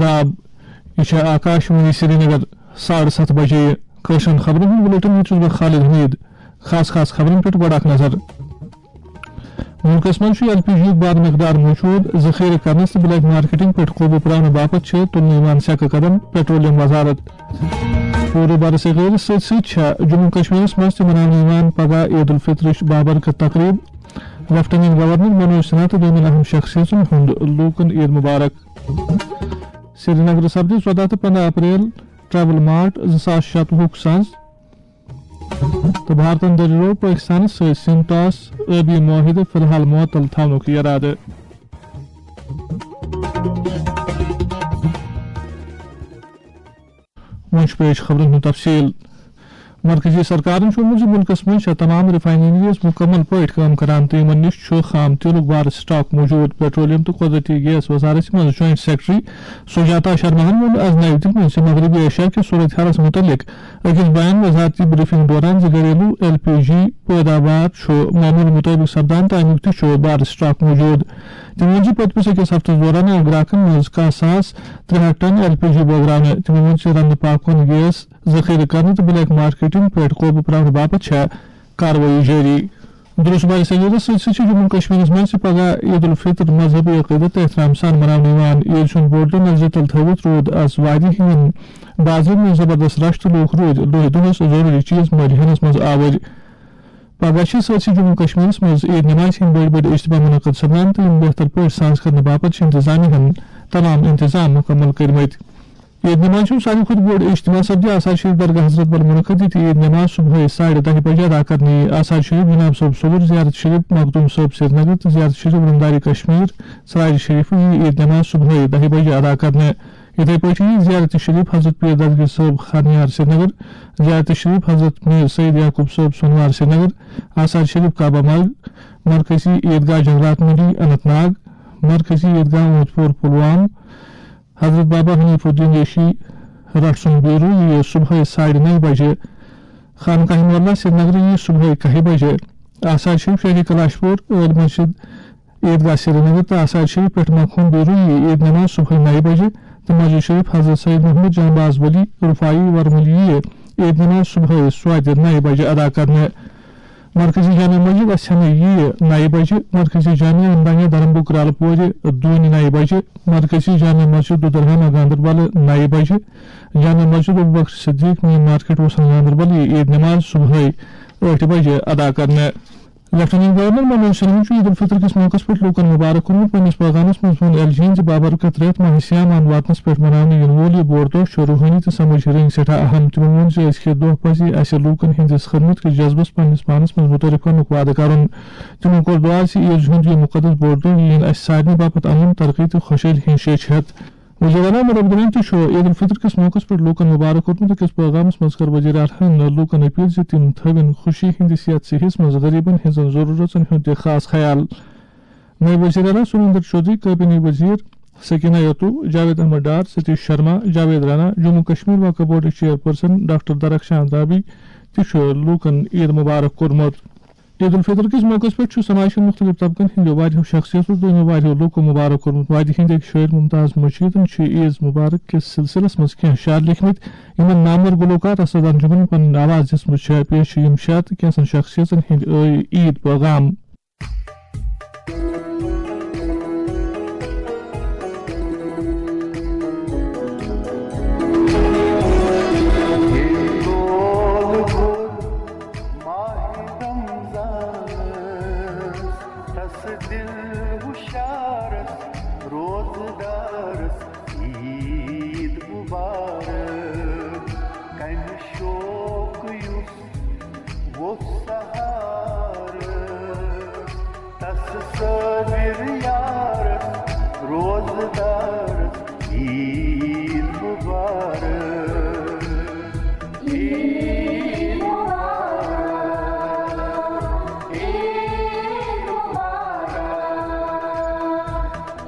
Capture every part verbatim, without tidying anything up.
آداب، یہِ چھےٚ آکاشوانی سرینگر۔ ساڑٕ ستھ بجے کٲشرٮ۪ن خبرن ہُنٛد بلیٹن۔ بہٕ چھُس بہٕ خالد حمید۔ خاص خاص خبرن پٮ۪ٹھ گۄڈٕ اکھ نظر۔ مُلکَس منٛز چھُ ایل پی جی یُک بَڑ مقدار موجود، ذخیرٕ کرنَس تہٕ بلیک مارکیٹنگ پٮ۪ٹھ قوبوٗ پرٛاونہٕ باپتھ چھِ تُلنہٕ یِوان سٮ۪کہٕ قدم، پیٹرولیم وزارت۔ پوٗرٕ برصغیٖرس سۭتۍ سۭتۍ چھےٚ جموں کشمیرس منٛز تہِ مناونہٕ یِوان پگاہ عید الفطرٕچ بابرکت تقریب۔ لیفٹیننٹ گورنر منوج سنہا تہٕ دوٚیمٮ۪ن اہم شخصیتن ہُنٛد لوٗکن عید مبارک۔ سرینگرٕ سپدِ ژۄداہ تہٕ پنٛداہ اپریل ٹریول مارٹ زٕ ساس شتوُہُک سنٛز تہٕ بھارتن دٔریاو پٲکستانس سۭتۍ سِم ٹاس ٲبی معاہدٕ فی الحال معطل تھاونُک یرادٕ۔ وۄنۍ چھُ پیش خبرن ہُنٛد تفصیل۔ مرکزی سرکارن چھُ ووٚنمُت زِ مُلکَس منٛز چھےٚ تمام ریفائنریز مُکمل پٲٹھۍ کٲم کران تہٕ یِمَن نِش چھُ خام تیلُک بار سٹاک موجود۔ پیٹرولیم تہٕ قۄدرٔتی گیس وزارت منٛز جوائنٹ سیکرٹری سجاتا شرماہن ووٚن آز نئی دِلہِ منٛز زِ مغربی ایشیا کِس صورت حالَس مُتعلِق أکِس بیان وزارتی بریفنگ دوران زِ گھریلو ایل پی جی پیداوار چھُ معمول مُطٲبِق سپدان تہٕ اَمیُک تہِ چھُ بار سٹاک موجود۔ تٔمۍ ووٚن زِ پٔتمِس أکِس ہفتَس دوران آو گراکَن منٛز کاہ ساس ترٛےٚ ہَتھ ٹن ایل پی جی بٲگراونہٕ۔ تٔمۍ ووٚن زِ رنٛدٕ پاکوُن گیس ذخیرٕ کرنہٕ تہٕ بلیک مارکیٹنگ پٮ۪ٹھ قوبوٗ پرٛاونہٕ باپتھ چھےٚ کاروٲیی جٲری۔ درست برصغیرس سۭتۍ سۭتۍ چھِ جموں کشمیرس منٛز تہِ پگاہ عید الفطر مذہبی عقیدت تہٕ احترام سان مناونہٕ یِوان۔ عید ہُنٛد بوٚڑ دۄہ نظرِ تل تھٲوِتھ روٗد از وادی ہٕنٛدٮ۪ن بازرن منٛز زبردست رش تہٕ لوٗکھ روٗدۍ دۄہے دۄہس ضروٗری چیز مٔلۍ ہینس منٛز آوٕرۍ۔ پگاہ چھِ سٲرسٕے جموں کشمیرس منٛز عید نمازِ ہٕنٛدۍ بٔڑۍ بٔڑۍ اجتماع منعقد سپدان تہٕ یِم بہتر پٲٹھۍ ساز کرنہٕ باپتھ چھِ انتظامیہ ہن تمام انتظام مکمل کٔرمٕتۍ۔ عید نماز ہُنٛد ساروی کھۄتہٕ بوٚڑ اجتماع سپدِ آثار شریف درگاہ حضرت بل منعقد، ییٚتہِ عید نماز صبحٲے ساڑِ دَہہِ بجہِ ادا کرنہٕ یِیہِ۔ آثار شریف جناب صٲب صوُر، زیارت شریف مخدوم صٲب سرینگر تہٕ زیارت شریف علمداری کشمیر ژرارِ شریفہٕ یِیہِ عید نماز صبحٲے دَہہِ بجہِ ادا کرنہٕ۔ یِتھے پٲٹھۍ یِیہِ زیارت شریف حضرت پیر دستگیر صٲب خانیار سرینگر، زیارت شریف حضرت میر سید یعقوب صٲب سونوار سرینگر، آثار شریف کعبہ مرگ، مرکزی عیدگاہ جنگلات منڈی اننت ناگ، مرکزی عیدگاہ اونت پور پلوام، حضرت بابا حنیف الدین ریشی رٹھ سُنٛد بیرو یِیہِ صبحٲے ساڑِ نَیہِ بجہِ۔ خانقاہ مولا سرینگرٕ یِیہِ صبحٲے کَہہِ بجہِ۔ آثار شریف شہری کلاش پور عٲلۍ مسجد عیدگاہ سرینگر تہٕ آثار شریف پٮ۪ٹھ مخہون بیرو یِیہِ عید نماز صبحٲے نَیہِ بجہِ تہٕ مسجد شریف حضرت سید محمد جانباز ولی رفاعی ورملی یِیہِ عید نماز صبحٲے سوادِ نَیہِ بجہِ ادا کرنہٕ۔ مرکزی جامع مسجد اسہِ ہمے ییہِ نَیہِ بجہِ، مرکزی جامع امدانیہ درمبو کرالہٕ پورِ دوٗنہِ نَیہِ بجہِ، مرکزی جامع مسجد دُدرہامہ گاندربل نَیہِ بجہِ، جامع مسجد ابوبکر صدیق مین مارکیٹ وسن گاندربل ییہِ عید نماز صبحٲے ٲٹھِ بجہِ ادا کرنہٕ۔ لیفٹیننٹ گورنر منوج سنہاہن چھُ عید الفطر کِس موقعس پٮ۪ٹھ لوٗکن مبارک کوٚرمُت۔ پننِس پیغامس منٛز ووٚن ایل جی یَن زِ بابرکت رٮ۪تھ ماہ صیام واتنس پٮ۪ٹھ مناونہٕ یِنہٕ وول یہِ بوٚڑ دۄہ چھُ روحٲنی تہٕ سمٲجی رنگۍ سٮ۪ٹھاہ اہم۔ تِمو ووٚن زِ أزکہِ دۄہ پزِ اسہِ لوٗکن ہٕنٛدِس خدمت کِس جذبس پننِس پانس منٛز متعارف کرنُک وعدٕ کرُن۔ تِمو کوٚر دُعا زِ عیز ہُنٛد یہِ مُقدس بوٚڑ دۄہ یِیِن اسہِ سارنٕے باپتھ امن، ترقی تہٕ خۄشحٲلۍ ہٕنٛز شیٚچھ ہٮ۪تھ۔ وزیر اعلیٰ عمر عبداللہن تہِ چھُ عید الفطر کِس موقعس پٮ۪ٹھ لوٗکن مبارک کوٚرمُت۔ أکِس پیغامس منٛز کٔر وزیر اعلیٰ لوٗکن اپیل زِ تِم تھٲوِن خوشی ہٕنٛدِس یتھ صحیحس منٛز غریبن ہٕنٛزن ضروٗرژن ہُنٛد تہِ خاص خیال۔ نئے وزیر اعلیٰ سریندر چودھری، کابینی وزیر سکینہ یتو، جاوید احمد ڈار، ستیش شرما، جاوید رانا، جموں کشمیر وقف بورڈٕچ چیئرپرسن ڈاکٹر درخشان رابی تہِ چھُ لوٗکن عید مبارک کوٚرمُت۔ عید الفطر کِس موقعس پٮ۪ٹھ چھُ سماجہِ ہٕنٛدۍ مُختٔلِف طبقن ہٕنٛدیو واریاہو شخصیتو تہٕ واریاہو لوٗکو مبارک کوٚرمُت۔ وادی ہٕنٛدۍ أکۍ شٲعر ممتاز مشیدن چھِ عید مبارک کِس سلسلس منٛز کینٛہہ شعر لیکھمٕتۍ، یِمن نامور گلوکار اسد انجمن پنٕنۍ آواز دِژمٕژ چھےٚ۔ پیش چھِ یِم شعر تہٕ کینٛژن شخصیتن ہٕنٛدۍ عٲ-، عید پیغام۔ تس دل ہشارس روزدارس عید مبارک۔ کمہِ شوقہٕ یُس ووٚتھ سہارٕ، تس صٲبِر یارس روزدارس عید مبارک۔ عید مبارک، عید مبارک،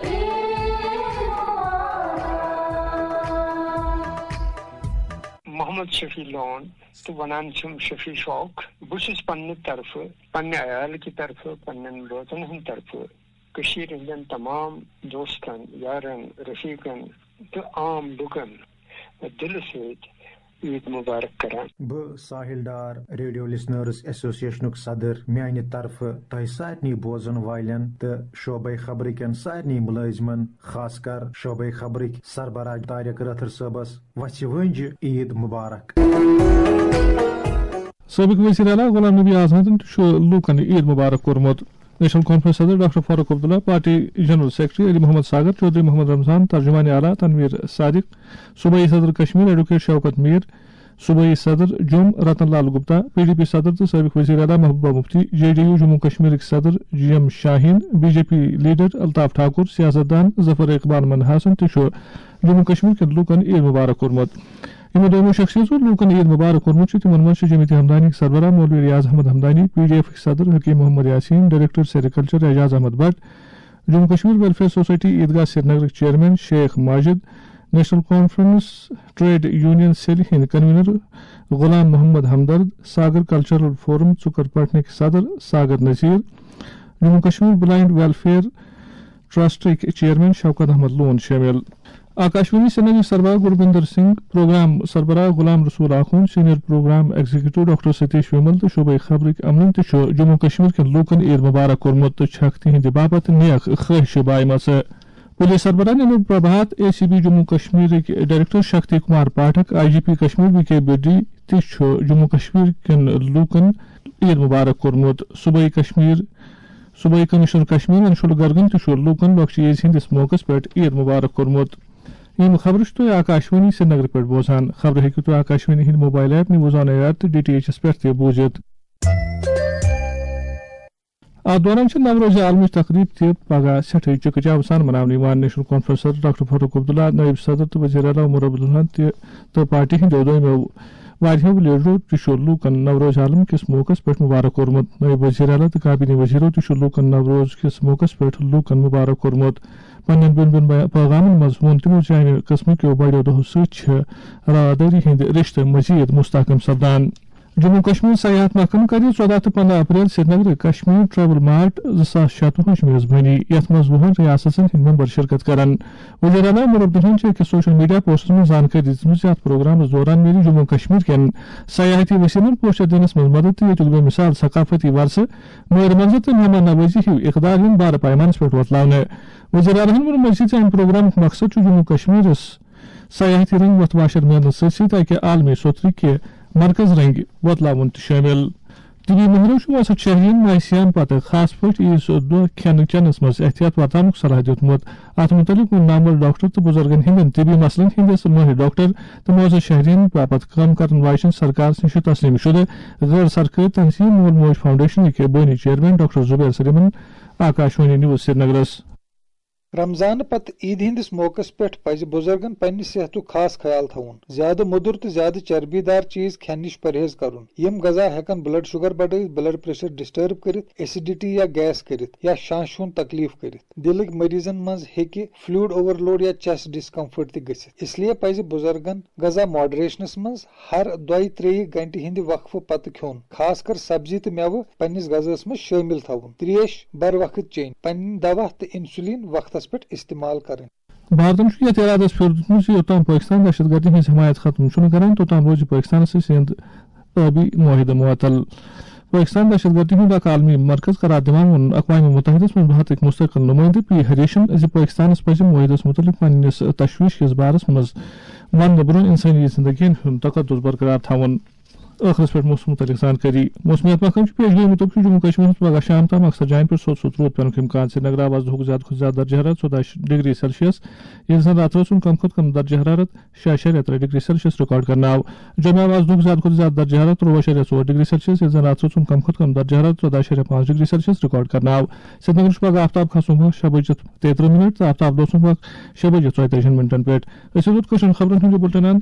عید مبارک۔ محمد شفیع لون تہٕ ونان چھِم شفیع شوق۔ بہٕ چھُس پننہِ طرفہٕ، پننہِ عیالہٕ کہِ طرفہٕ، پننٮ۪ن بٲژن ہٕنٛدِ طرفہٕ کٔشیٖرِ ہٕنٛدٮ۪ن تمام دوستن، یارن، رفیقن، تہٕ عام لُکن دِلہٕ سۭتۍ عیٖد مُبارک کران۔ بہٕ ساحِل ڈار، ریڈیو لسنرز ایسوسیشنُک صدر، میانہِ طرفہٕ تۄہہِ سارنٕے بوزن والٮ۪ن تہٕ شعبے خبرٕکٮ۪ن سارنٕے مُلٲزمن، خاص کر شعبے خبرٕکۍ سربراہ طارق رٲتھر صٲبس وژھِ وٲنجہِ عیٖد مُبارک۔ سٲبِق وزیر اعلیٰ غلام نبی آزادن تہِ چھُ لوٗکن عیٖد مُبارک کوٚرمُت۔ نیشنل کانفرنس صدر doctor Farooq Abdullah, party general secretary Ali Mohammad Sagar, Chaudhary Mohammad Ramzan, ترجمان اعلیٰ تنویر صادق، صوبائی صدر کشمیر ایڈوکیٹ شوکت میر، صوبائی صدر جوٚم Ratan Lal Gupta, P D P صدر تہٕ سٲبِق وزیر اعلیٰ Mehbooba Mufti, J D U Jammu کشمیرٕکۍ صدر G M Shaheen, B J P leader Altaf Thakur, سیاست دان ظفر اقبال منہاسن تہِ چھُ جموں کشمیر کٮ۪ن لوٗکن عیٖد مُبارک کوٚرمُت۔ یِمو دۄیو شخصیژو لوٗکن عیٖد مُبارک کوٚرمُت چھُ، تِمن منٛز چھِ جمعیت ہمدانی سربراہ مولوی ریاض احمد ہمدانی، پی ڈی ایفٕکۍ صدر Hakeem Mohammad Yasin, director sericulture Ijaz Ahmad Bhat, Jammu Kashmir welfare society Eidgah سرینگرٕکۍ chairman Sheikh Majid, national conference trade union cell ہٕنٛدۍ convener Ghulam Mohammad Hamdard, Sagar cultural forum ژُکر پٹنٕکۍ صدر ساگر نذیر، جموں کشمیر بلائنڈ ویلفیئر ٹرسٹٕکۍ چیئرمین شوکت احمد لون شٲمِل۔ آکاشوانی سرینگر سربراہ گروپیندر سنگھ، پروگرام سربراہ Ghulam Rasool Akhoon, senior programme executive doctor Satish ومل تہٕ شعبے خبرٕکۍ عملن تہِ چھُ جموں کشمیر کٮ۪ن لوٗکن عیٖد مُبارک کوٚرمُت تہٕ چھکھ تِہنٛدِ باپتھ نیک خٲہشہِ بایمژٕ۔ پُلیٖس سربراہ نیٚنو Prabhat, A C B Jammu کشمیرٕکۍ director Shakti Kumar Pathak, I G P Kashmir V K Bedi تہِ چھُ جموں کشمیر کٮ۪ن لوٗکن عیٖد مُبارک کوٚرمُت۔ صوبائی کشمیر، صوبائی کمشنر کشمیر انشول گرگن تہِ چھُ لوٗکن لۄکچہِ عیٖز ہٕنٛدِس موقعس پٮ۪ٹھ عیٖد مُبارک کوٚرمُت۔ یِم خبرٕ چھِو تُہۍ آکاشوانی سرینگرٕ پٮ۪ٹھ بوزان۔ خبرٕ ہیٚکِو تُہۍ آکاشوانی ہٕنٛدِ mobile app News on Air تہٕ ڈی ٹی ایچ ایس پٮ۪ٹھ تہِ بوٗزِتھ۔ اتھ دوران چھِ نوروز عالمٕچ تقریب تہِ پگاہ سٮ۪ٹھٕے چکہٕ چاو سان مناونہٕ یِوان۔ نیشنل کانفرنس صدر ڈاکٹر فاروق عبداللہ، نٲیِب صدر تہٕ وزیر اعلیٰ عمر عبدالرحمان تہِ تہٕ پارٹی ہٕنٛدیو دوٚیمٮ۪و واریاہو لیڈرو تہِ چھُ لوٗکن نوروز عالم کِس موقعس پٮ۪ٹھ مُبارک کوٚرمُت۔ نٲیِب وزیر اعلیٰ تہٕ کابینی وزیرو تہِ چھُ لوٗکن نوروز کِس موقعس پٮ۪ٹھ لوٗکن مُبارک کوٚرمُت۔ پننٮ۪ن بین بین بیا-، پیغامن منٛز ووٚن تِمو زِ امہِ قٕسمہٕ کیو بڑیو دۄہو سۭتۍ چھِ روادٲری ہٕنٛدۍ رشتہٕ مزید مستحکم سپدان۔ جموں کشمیر سیاحت محکمہٕ کَرِ ژۄداہ تہٕ پنٛداہ اپریل سرینگرٕ کشمیر ٹریول مارٹ زٕ ساس شتوُہٕچ میزبٲنی، یَتھ منٛز وُہَن ریاستن ہٕنٛدۍ ممبر شرکت کرن۔ وزیر اعلیٰ عمر عبدالرحمان چھِ أکِس سوشل میڈیا پوسٹس منٛز زانکٲری دِژمٕژ زِ اتھ پروگرامس دوران میلہِ جموں کشمیر کٮ۪ن سیاحتی وسیلن پوسچر دِنس منٛز مدد تہٕ ییٚتیُک بے مثال ثقافتی ورثہٕ، مٲہر منظر تہٕ مہمان نوازی ہیوۍ اقدار یِن بارٕ پیمانس پٮ۪ٹھ وۄتلاونہٕ۔ وزیر اعلیٰ ہن ووٚن مزید زِ امہِ پروگرامُک مقصد چھُ جموں کشمیرس سیاحتی رنگ وۄتھٕ واشر میلنس سۭتۍ سۭتۍ اکہِ عالمی سوٚترِ کہِ مرکز رنگہِ وۄتلاوُن تہِ شٲمِل۔ طبی مٲہرو چھُ وسط شہرین ماہِ صیام پتہٕ خاص پٲٹھۍ عیٖز دۄہ کھٮ۪نہٕ چٮ۪نس منٛز احتیاط ورتاونُک صلاح دیُتمُت۔ اتھ مُتعلق ووٚن نامور ڈاکٹر تہٕ بُزرگن ہٕنٛدٮ۪ن طبی مسلن ہٕنٛدِس مٲہِر ڈاکٹر تہٕ معزز شہرین باپتھ کٲم کرن واجٮ۪ن سرکار نِش تسلیٖم شُدٕ غٲر سرکٲرۍ تنظیٖم مول موج فاؤنڈیشن کہِ بٲنی چیئرمین ڈاکٹر زبیر سلیمن آکاشوانی نیوز سرینگرس۔ رمضان پتہٕ عیدِ ہٕنٛدِس موقعس پٮ۪ٹھ پزِ بُزرگن پننہِ صحتُک خاص خیال تھاوُن، زیادٕ مۄدُر تہٕ زیادٕ چربی دار چیز کھٮ۪نہٕ نِش پرہیز کرُن۔ یِم غذا ہٮ۪کن بلڈ شوگر بڑٲوِتھ، بلڈ پریشر ڈسٹرب کٔرِتھ، ایسیڈیٹی یا گیس کٔرِتھ، یا شانشہِ ہُنٛد تکلیف کٔرِتھ۔ دِلٕکۍ مریضن منٛز ہیٚکہِ فلوئڈ اوورلوڈ یا چیسٹ ڈسکمفرٹ تہِ گٔژھِتھ۔ اس لیے پزِ بُزرگن غذا ماڈریشنس منٛز ہر دۄیہِ ترٛیٚیہِ گھنٹہِ ہٕنٛدِ وقفہٕ پتہٕ کھیوٚن، خاص کر سبزی تہٕ مٮ۪وٕ پننِس غذاہس منٛز شٲمِل تھاوُن۔ تریش بر وقت چیٚنۍ، پنٕنۍ دوا تہٕ انسولین وقتس پٮ۪ٹھ استعمال کرٕنۍ۔ بھارتن چھُ یتھ ارادس پھیُر دیُتمُت زِ یوٚتام پٲکستان دہشت گردی ہٕنٛز حمایت ختم چھُنہٕ کران، توٚتام روزِ پٲکستانس سۭتۍ سِنٛد ٲبی معاہدٕ معطل۔ پٲکستان دہشت گردی ہُنٛد اکھ عالمی مرکز قرار دِوان ووٚن اقوام متحدس منٛز بھارتٕکۍ مستقل نُمٲیندٕ پی ہریشن زِ پٲکستانس پزِ معاہدس مُتعلق پننِس تشویش کِس بارس منٛز وننہٕ برٛونٛہہ انسٲنی زندگین ہُنٛد تقدس برقرار تھاوُن۔ ٲخرس پٮ۪ٹھ موسمہٕ مُتعلق زانکٲری۔ موسمیات محکمہٕ چھُ پیش گویی مُطٲبِق چھُ جموں کشمیرس منٛز پگاہ شام تام اکثر جاین پٮ۪ٹھ سوٚت سوٚت روٗد پٮ۪نُک امکان۔ سرینگر آو آز دُہُک زیادٕ کھۄتہٕ زیادٕ درجہٕ حرارت ژۄداہ ڈگری سیلسیس، ییٚلہِ زن راتہٕ رٲژ ہُنٛد کم کھۄتہٕ کم درجہٕ حرارت شےٚ اَشاریہ ترٛےٚ ڈگری سیلسیس ریکارڈ کرنہٕ آو۔ جوٚمہِ آو آز دُہُک زیادٕ کھۄتہٕ زیادٕ درجہٕ حرارت ترٛۆوُہ اَشاریہ ژور ڈگری سیلسیس، ییٚلہِ زن راتہٕ رٲژ ہُنٛد کم کھۄتہٕ کم درجہٕ حرارت ژۄداہ اَشاریہ پانٛژھ ڈگری سیلسیس ریکارڈ کرنہٕ آو۔ سرینگرٕ چھُ پگاہ آفتاب کھسنُک وقت شےٚ بجِتھ تیٚیہِ ترٕٛہ منٹ تہٕ آفتاب لوسنُک وقت شےٚ بجِتھ ژۄیہِ تٲجی منٹن پٮ۪ٹھ۔ أسۍ واتو کٲشرٮ۪ن خبرن ہُنٛد یہِ بُلٹن اند۔